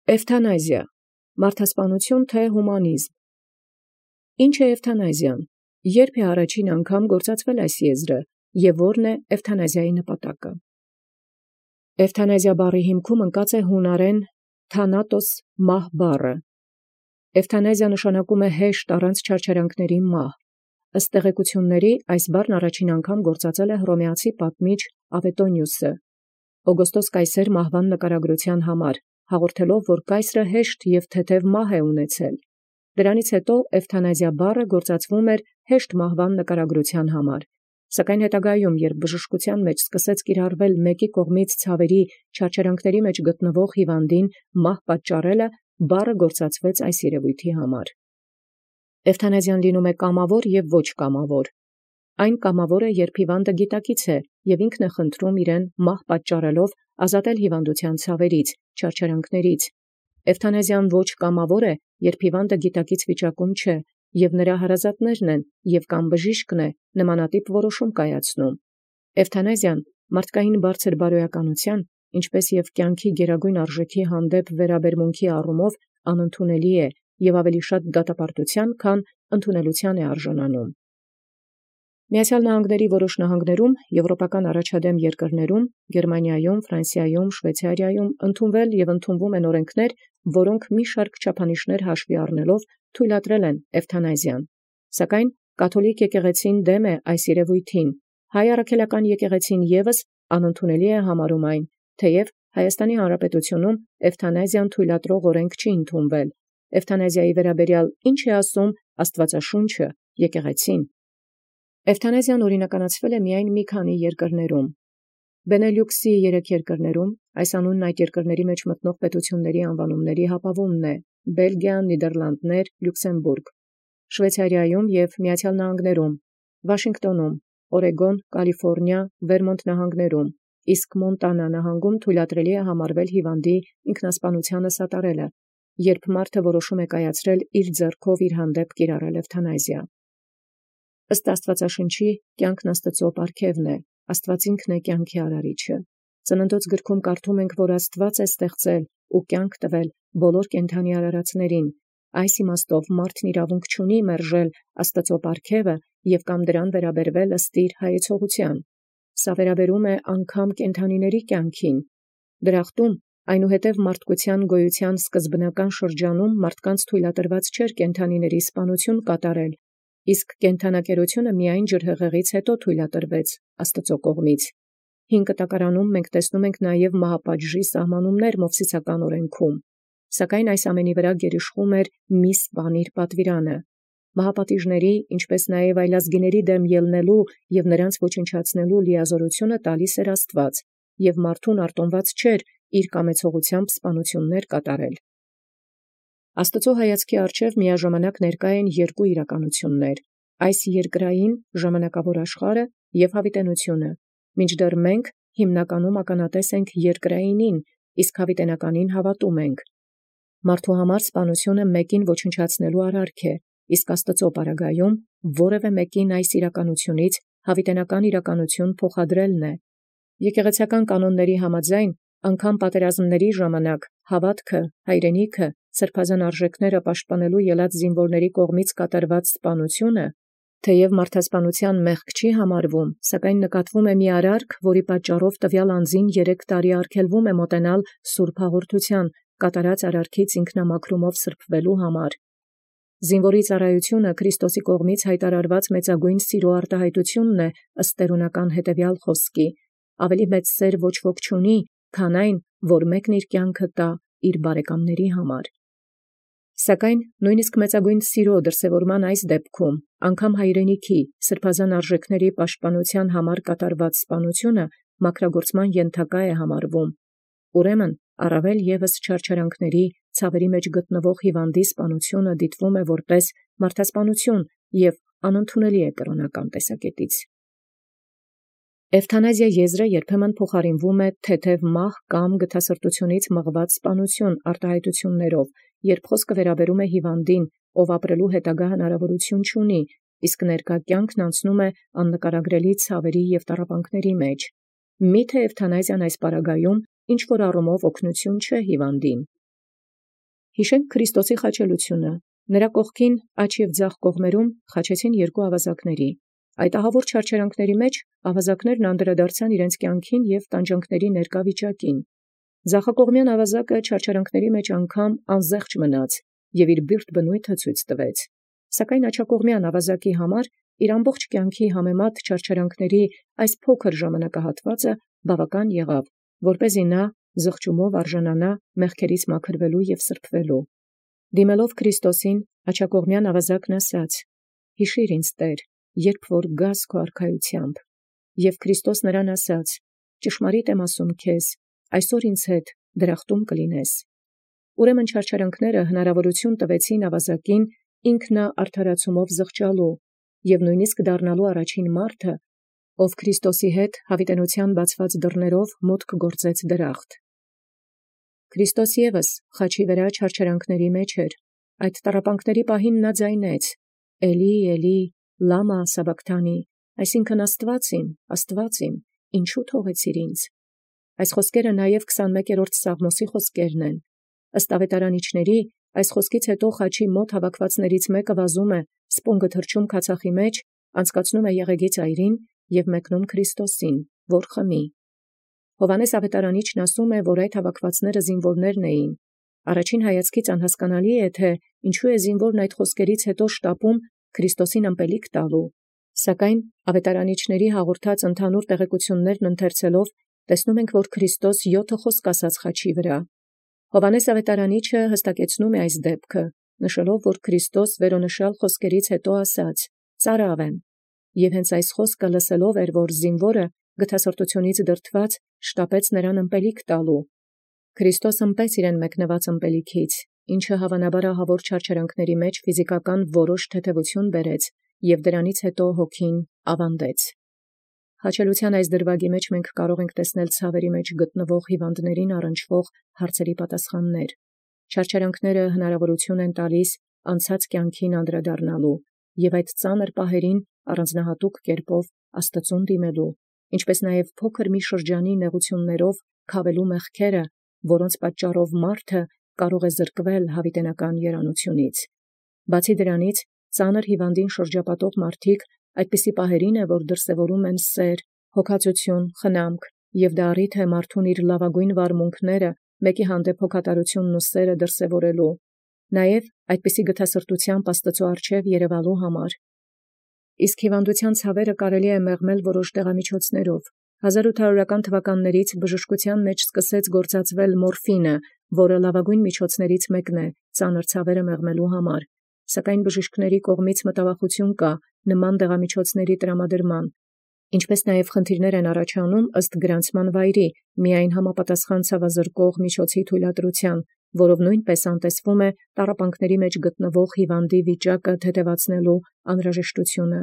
Էվթանազիա, մարդասպանություն թե հումանիզմ։ Ինչ է էվթանազիան, երբ է առաջին անգամ գործածվել այս եզրը և ո՞րն է էվթանազիայի նպատակը։ Էվթանազիա բառի հիմքում ընկած է հունարեն թանատոս մահ բառը։ Էվթանազիա նշանակում է հեշտ առանց չարչարանքների մահ։ Ըստ տեղեկությունների այս բառն առաջին անգամ գործածել է հռոմեացի պատմիչ Ավետոնիուսը Օգոստոս կայսեր մահվան նկարագրության համար, հաղորդելով, որ կայսրը հեշտ և թեթև մահ է ունեցել։ Դրանից հետո էվթանազիա բառը գործածվում էր հեշտ մահվան նկարագրության համար, սակայն հետագայում, երբ բժշկության մեջ սկսեց կիրառվել մեկի կողմից ցավերի չարչարանքների մեջ գտնվող հիվանդին մահ պատճառելը, բառը գործածվեց այս երևույթի համար։ Էվթանազիան լինում է կամավոր և ոչ կամավոր։ Այն կամավոր է, երբ հիվանդը գիտակից է և ինքն է խնդրում իրեն մահ պատճառելով ազատել հիվանդության ցավերից, չարչարանքներից։ Էվթանազիան ոչ կամավոր է, երբ հիվանդը գիտակից վիճակում չէ, և նրա հարազատներն են, և կամ բժիշկն է նմանատիպ որոշում կայացնում։ Էվթանազիան մարդկային բարձր բարոյականության, ինչպես և կյանքի գերագույն արժեքի հանդեպ վերաբերմունքի առումով անընդունելի է և ավելի շատ դատապարտության, քան ընդունելության է արժանանում։ Միացյալ Նահանգների որոշ նահանգներում, եվրոպական առաջադեմ երկրներում, Գերմանիայում, Ֆրանսիայում, Շվեյցարիայում ընդունվել և ընդունվում են օրենքներ, որոնք մի շարք չափանիշներ հաշվի առնելով թույլատրել են էվթանազիան։ Սակայն կաթոլիկ եկեղեցին դեմ է այս երևույթին, հայ առաքելական եկեղեցին ևս անընդունելի է համարում այն, թեև Հայաստանի Հանրապետությունում էվթանազիան թույլատրող օրենք չի ընդունվել։ Էվթանազիայի վերաբերյալ ինչ է ասում Աստվածաշունչը, եկեղեցին։ Էվթանազիան օրինականացվել է միայն մի քանի երկրներում։ Բենելյուքսի 3 երկրներում, այս անունն այդ երկրների մեջ մտնող պետությունների անվանումների հապավումն է՝ Բելգիա, Նիդերլանդներ, Լյուքսեմբուրգ, Շվեյցարիայում և Միացյալ Նահանգներում, Վաշինգտոնում, Օրեգոն, Կալիֆոռնիա, Վերմոնտ նահանգներում, իսկ Մոնտանա նահանգում թույլատրելի է համարվել հիվանդի ինքնասպանությանը սատարելը, երբ մարդը որոշում է կայացրել իր ձեռքով իր հանդեպ կիրառել էվթանազիա։ Ըստ Աստվածաշնչի, կյանքն Աստծո պարգևն է, Աստված ինքն է կյանքի արարիչը։ Ծննդոց գրքում կարդում ենք, որ Աստված է ստեղծել ու կյանք տվել բոլոր կենդանի արարածներին։ Այս իմաստով մարդն իրավունք չունի մերժել Աստծո պարգևը և կամ դրան վերաբերվել ըստ իր հայեցողության։ Սա վերաբերում է անգամ կենդանիների կյանքին։ Դրախտում, այնուհետև մարդկության գոյության սկզբնական շրջանում մարդկանց թույլատրված չէր կենդանիների սպանություն կատարել, իսկ կենդանակերությունը միայն ջրհեղեղից հետո թույլատրվեց Աստծո կողմից։ Հին կտակարանում մենք տեսնում ենք նաև մահապատժի սահմանումներ մովսիսական օրենքում, սակայն այս ամենի վրա գերիշխում էր մի սպանիր պատվիրանը։ Մահապատիժների, ինչպես նաև այլազգիների դեմ ելնելու և նրանց ոչնչացնելու լիազորությունը տալիս էր Աստված, և մարդուն արտոնված չէր իր կամեցողությամբ սպանություններ կատարել։ Աստծո հայացքի առջև միաժամանակ ներկա են երկու իրականություններ՝ այս երկրային ժամանակավոր աշխարհը և հավիտենությունը, մինչդեռ մենք հիմնականում ականատես ենք երկրայինին, իսկ հավիտենականին հավատում ենք։ Մարդու համար սպանությունը մեկին ոչնչացնելու արարք է, իսկ Աստծո պարագայում որևէ մեկին այս իրականությունից հավիտենական իրականություն փոխադրելն է։ Եկեղեցական կանոնների համաձայն, անգամ պատերազմների ժամանակ հավատքը, հայրենիքը, սրբազան արժեքները պաշտպանելու ելած զինվորների կողմից կատարված սպանությունը, թեև մարդասպանության մեղք չի համարվում, սակայն նկատվում է մի արարք, որի պատճառով տվյալ անձին 3 տարի արգելվում է մոտենալ սուրբ հաղորդության, կատարած արարքից ինքնամաքրումով սրբվելու համար։ Զինվորի ծառայությունը Քրիստոսի կողմից հայտարարված մեծագույն սիրո արտահայտությունն է ըստ տերունական հետևյալ խոսքի. ավելի մեծ սեր ոչ ոք չունի, քան այն, որ մեկն իր կյանքը տա իր բարեկամների համար։ Սակայն նույնիսկ մեծագույն սիրո դրսևորման այս դեպքում, անգամ հայրենիքի, սրբազան արժեքների պաշտպանության համար կատարված սպանությունը մաքրագործման ենթակա է համարվում։ Ուրեմն, առավել ևս չարչարանքների, ցավերի մեջ գտնվող հիվանդի սպանությունը դիտվում է որպես մարդասպանություն և անընդունելի է կրոնական տեսակետից։ Էվթանազիա եզրը երբեմն փոխարինվում է թեթև մահ կամ գթասրտությունից մղված սպանություն արտահայտություններով, երբ խոսքը վերաբերում է հիվանդին, ով ապրելու հետագա հնարավորություն չունի, իսկ ներկա կյանքն անցնում է աննկարագրելի ցավերի և տառապանքների մեջ։ Միթե էվթանազիան այս պարագայում ինչ որ առումով օգնություն չէ հիվանդին։ Հիշենք Քրիստոսի խաչելությունը. նրա կողքին աջ և ձախ կողմերում խաչեցին երկու ավազակների։ Այդ ահավոր չարչարանքների մեջ ավազակներն անդրադարձան իրենց կյանքին և տանջանքների ներկա վիճակին։ Ձախակողմյան ավազակը չարչարանքների մեջ անգամ անզեղչ մնաց և իր բիրտ բնույթը ցույց տվեց։ Սակայն աջակողմյան ավազակի համար իր ամբողջ կյանքի համեմատ չարչարանքների այս փոքր ժամանակահատվածը բավական եղավ, որպեսզի նա զղջումով արժանանա մեղքերից մաքրվելու և սրբվելու։ Դիմելով Քրիստոսին, աջակողմյան ավազակն ասաց. «Հիշիր ինձ, Տեր, երբ որ գաս քո արքայությամբ»։ Եւ Քրիստոս նրան ասաց. «Ճշմարիտ եմ ասում քեզ, այսօր ինձ հետ դրախտում կլինես»։ Ուրեմն չարչարանքները հնարավորություն տվեցին ավազակին ինքն արդարացումով զղջալու և նույնիսկ դառնալու առաջին մարդը, ով Քրիստոսի հետ հավիտենության բացված դռներով մուտք գործեց դրախտ։ Քրիստոս ևս խաչի վրա չարչարանքների մեջ էր։ Այդ տառապանքների պահին նա ձայնեց. «Էլի, Էլի, լամա սաբաքթանի», այսինքն Աստված իմ, ինչու թողեցիր ինձ։ Այս խոսքերը նաև 21-րդ Սաղմոսի խոսքերն են։ Ըստ ավետարանիչների, այս խոսքից հետո խաչի մոտ հավաքվածներից մեկը վազում է, սպունգը թռչում քացախի մեջ, անցկացնում է եղեգի ծայրին և մեկնում Քրիստոսին, որ խմի։ Հովհաննես ավետարանիչն ասում է, որ այդ հավաքվածները զինվորներն էին։ Առաջին հայացքից անհասկանալի է, թե ինչու է զինվորն այդ խոսքերից հետո շտապում Քրիստոսին ըմպելիք տալու։ Սակայն ավետարանիչների հաղորդած ընդհանուր տեղեկություններն ընթերցելով տեսնում ենք, որ Քրիստոս 7 խոսք ասաց խաչի վրա։ Հովհաննես ավետարանիչը հստակեցնում է այս դեպքը, նշելով, որ Քրիստոս վերոնշյալ խոսքերից հետո ասաց. «Ծարավ եմ», և հենց այս խոսքը լսելով էր, որ զինվորը գթասրտությունից դրդված շտապեց նրան ըմպելիք տալու։ Քրիստոս ըմպեց իրեն մեկնված ըմպելիքից, ինչը հավանաբար ահավոր չարչարանքների մեջ ֆիզիկական որոշ թեթևություն բերեց, և դրանից հետո հոգին ավանդեց։ Հաչելության այս դրվագի մեջ մենք կարող ենք տեսնել ցավերի մեջ գտնվող հիվանդներին առնչվող հարցերի պատասխաններ։ Չարչարանքները հնարավորություն են տալիս անցած կյանքին անդրադառնալու և այդ ծանր պահերին առանձնահատուկ կերպով Աստծուն դիմելու, ինչպես նաև փոքր մի շրջանի նեղություններով քավելու մեղքերը, որոնց պատճառով մարդը կարող է զրկվել հավիտենական երանությունից։ Բացի դրանից, ծանր հիվանդին շրջապատող մարդիկ այդպիսի պահերին է, որ դրսևորում են սեր, հոգածություն, խնամք, և դա առիթ է մարդուն իր լավագույն վարմունքները մեկի հանդեպ հոգատարությունն ու սերը դրսևորելու, նաև այդպիսի գթասրտությամբ Աստծու առջև երևալու համար։ Իսկ հիվանդության ցավերը կարելի է մեղմել որոշ դեղամիջոցներով։ 1800-ական թվականներից բժշկության մեջ սկսեց գործածվել մորֆինը, որը լավագույն միջոցներից մեկն է ծանր ցավերը մեղմելու համար։ Սակայն բժիշկների կողմից մտավախություն կա նման դեղամիջոցների տրամադրման, ինչպես նաև խնդիրներ են առաջանում ըստ գրանցման վայրի միայն համապատասխան ցավազրկող միջոցի թույլատրության, որով նույնպես անտեսվում է տառապանքների մեջ գտնվող հիվանդի վիճակը թեթևացնելու անհրաժեշտությունը։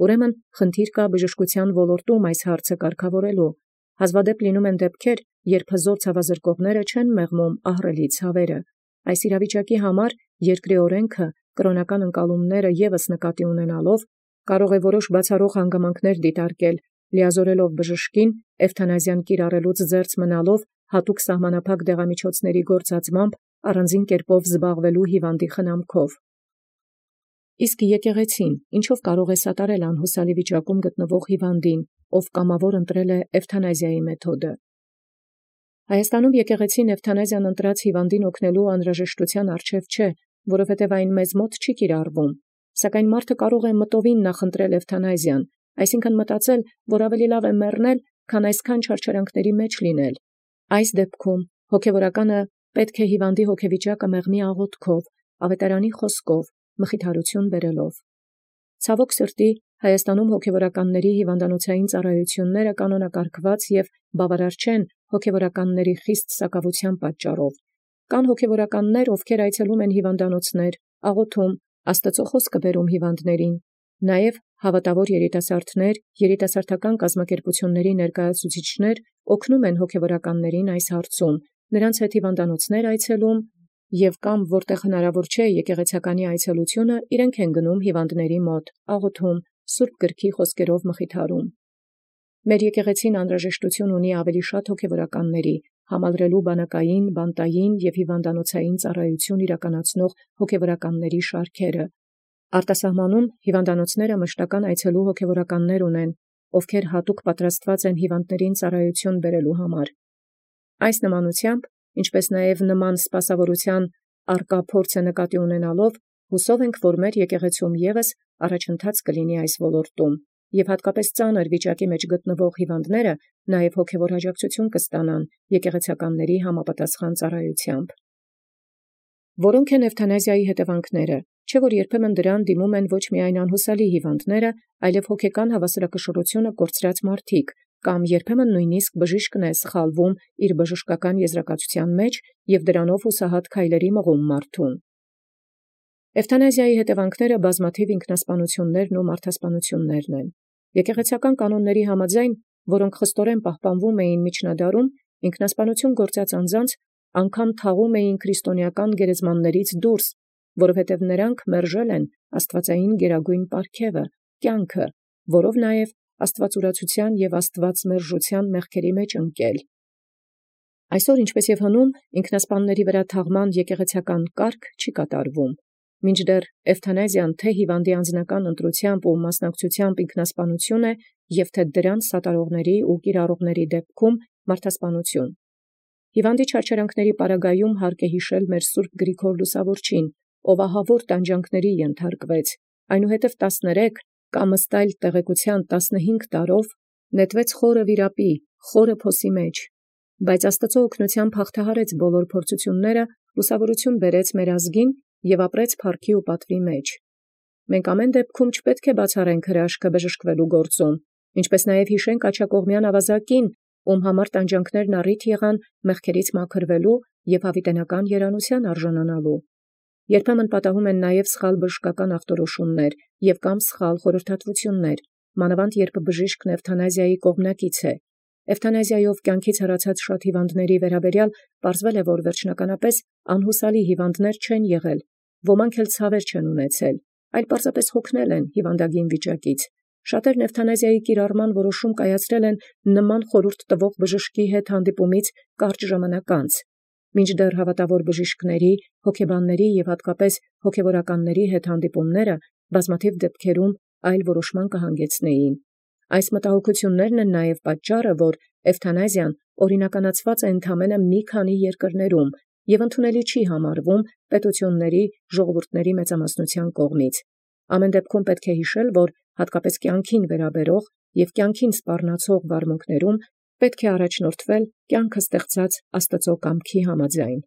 Ուրեմն խնդիր կա բժշկության ոլորտում այս հարցը կարգավորելու։ Հազվադեպ լինում են դեպքեր, երբ հզոր ցավազրկողները չեն մեղմում ահռելի ցավերը։ Այս իրավիճակի համար երկրի օրենքը կրոնական ընկալումները ևս նկատի ունենալով կարող է որոշ բացառող հանգամանքներ դիտարկել, լիազորելով բժշկին էվթանազիան կիրառելուց զերծ մնալով հատուկ սահմանափակ դեղամիջոցների գործածմամբ առանձին կերպով զբաղվելու հիվանդի խնամքով։ Իսկ եկեղեցին ինչով կարող է սատարել անհուսալի վիճակում գտնվող հիվանդին, ով կամավոր ընտրել է էվթանազիայի մեթոդը։ Հայաստանում եկեղեցին էվթանազիան ընտրած հիվանդին օգնելու անհրաժեշտության առջև չէ, որովհետև այն մեզ մոտ չի կիրառվում, սակայն մարդը կարող է մտովին նախընտրել էվթանազիան, այսինքն մտածել, որ ավելի լավ է մեռնել, քան այսքան չարչարանքների մեջ լինել։ Այս դեպքում հոգևորականը պետք է հիվանդի հոգեվիճակը մեղմի աղոթքով, ավետարանի խոսքով, մխիթարություն բերելով։ Ցավոք սրտի, Հայաստանում հոգևորականների հիվանդանոցային ծառայությունները կանոնակարգված և բավարար չեն հոգևորականների խիստ սակավության պատճառով։ Կան հոգևորականներ, ովքեր այցելում են հիվանդանոցներ, աղոթում, Աստծո խոսքը բերում հիվանդներին։ Նաև հավատավոր երիտասարդներ, երիտասարդական կազմակերպությունների ներկայացուցիչներ օգնում են հոգևորականներին այս հարցում, նրանց հետ հիվանդանոցներ այցելում և կամ որտեղ հնարավոր չէ եկեղեցականի այցելությունը, իրենք են գնում հիվանդների մոտ, աղոթում, Սուրբ Գրքի խոսքերով մխիթարում։ Մեր եկեղեցին անհրաժեշտություն ունի ավելի շատ հոգևորականների, համալրելու բանակային, բանտային և հիվանդանոցային ծառայություն իրականացնող հոգևորականների շարքերը։ Արտասահմանում հիվանդանոցները մշտական այցելու հոգևորականներ ունեն, ովքեր հատուկ պատրաստված են հիվանդներին ծառայություն բերելու համար։ Այս նմանությամբ, ինչպես նաև նման սպասավորության արկա փորձը նկատի ունենալով, հուսով ենք, որ մեր եկեղեցում ևս առաջընթաց կլինի այս ոլորտում, և հատկապես ծանր վիճակի մեջ գտնվող հիվանդները նաև հոգևոր աջակցություն կստանան եկեղեցականների համապատասխան ծառայությամբ։ Որոնք են էվթանազիայի հետևանքները, չէ՞ որ երբեմն դրան դիմում են ոչ միայն անհուսալի հիվանդները, այլև հոգեկան հավասարակշռությունը կորցրած մարդիկ, կամ երբեմն նույնիսկ բժիշկն է սխալվում իր բժշկական եզրակացության մեջ և դրանով հուսահատ քայլերի մղում մարդուն։ Էվթանազիայի հետևանքները բազմաթիվ ինքնասպանություններն ու մարդասպանություններն են։ Եկեղեցական կանոնների համաձայն, որոնք խստորեն պահպանվում էին միջնադարում, ինքնասպանություն գործած անձանց անգամ թաղում էին քրիստոնեական գերեզմաններից դուրս, որովհետև նրանք մերժել են աստվածային գերագույն պարգևը, կյանքը, որով նաև աստվածուրացության և աստվածմերժության մեղքերի մեջ ընկել։ Այսօր, ինչպես և հնում, ինքնասպանների վրա թաղման եկեղեցական կարգ չի կատարվում, մինչդեռ էվթանազիան թե հիվանդի անձնական ընտրությամբ ու մասնակցությամբ ինքնասպանություն է, և թե դրանց սատարողների ու կիրառողների դեպքում մարդասպանություն։ Հիվանդի չարչարանքների պարագայում հարկ է հիշել մեր Սուրբ Գրիգոր Լուսավորչին, ով ահավոր տանջանքների ենթարկվեց, այնուհետև 13 կամ ըստ այլ տեղեկության 15 տարով նետվեց խորը վիրապի, խորը փոսի մեջ, բայց Աստծո օգնությամբ հաղթահարեց բոլոր փորձությունները, լուսավորություն բերեց մեր ազգին և ապրեց փառքի ու պատվի մեջ։ Մենք ամեն դեպքում չպետք է բացառենք հրաշքը բժշկվելու գործում, ինչպես նաև հիշենք աջակողմյան ավազակին, ում համար տանջանքներն առիթ եղան մեղքերից մաքրվելու և հավիտենական երանության արժանանալու։ Երբեմն պատահում են նաև սխալ բժշկական ախտորոշումներ և կամ սխալ խորհրդատվություններ, մանավանդ երբ բժիշկն էվթանազիայի կողմնակից է։ Էվթանազիայով կյանքից հեռացած շատ հիվանդների վերաբերյալ պարզվել է, որ վերջնականապես անհուսալի հիվանդներ չեն եղել, ոմանք էլ ցավեր չեն ունեցել, այլ պարզապես հոգնել են հիվանդագին վիճակից։ Շատերն էվթանազիայի կիրառման որոշում կայացրել են նման խորհուրդ տվող բժշկի հետ հանդիպումից կարճ ժամանակ անց, մինչդեռ հավատավոր բժիշկների, հոգեբանների և հատկապես հոգևորականների հետ հանդիպումները բազմաթիվ դեպքերում այլ որոշման կհանգեցնեին։ Այս մտահոգություններն են նաև պատճառը, որ էվթանազիան օրինականացված է ընդամենը մի քանի երկրներում և ընդունելի չի համարվում պետությունների, ժողովուրդների մեծամասնության կողմից։ Ամեն դեպքում պետք է հիշել, որ հատկապես կյանքին վերաբերող և կյանքին սպառնացող վարմունքներում պետք է առաջնորդվել կյանքը ստեղծած Աստծո կամքի համաձայն։